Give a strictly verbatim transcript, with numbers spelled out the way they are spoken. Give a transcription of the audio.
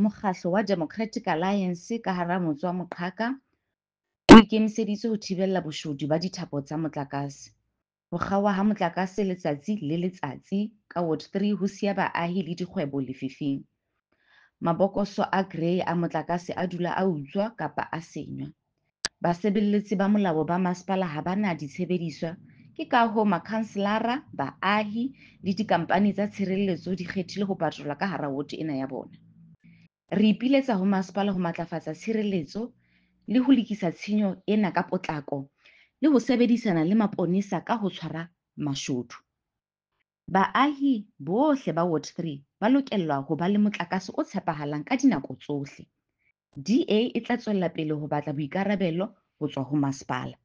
Mokgahlo wa Democratic Alliance ka hara motse wa Moqhaka o ikemiseditse ho thibella boshodu ba dithapo tsa motlakase. Ho kgaoha ha motlakase letsatsi le letsatsi ka Ward three ho siya baahi le dikgwebo lefifing. Mabokoso a grey a motlakase a dula a utswa kapa a senywa. Basebeletsi ba molao ba masepala ha ba na ditshebediswa, ke kahoo makhanselara, baahi le dikampani tsa tshireletso di kgethile ho patrola ka hara woto ena ya bona. Re ipiletsa ho masepala ho matlafatsa tshireletso le ho lokisa tshenyo ena ka potlako le ho sebedisana le maponesa ka ho tshwara mashodu. Baahi bohle ba Ward three ba lokela ho ba le motlakase o tshepahalang ka dinako tsohle. D A e tla tswella pele ho batla boikarabelo ho tswa ho masepala.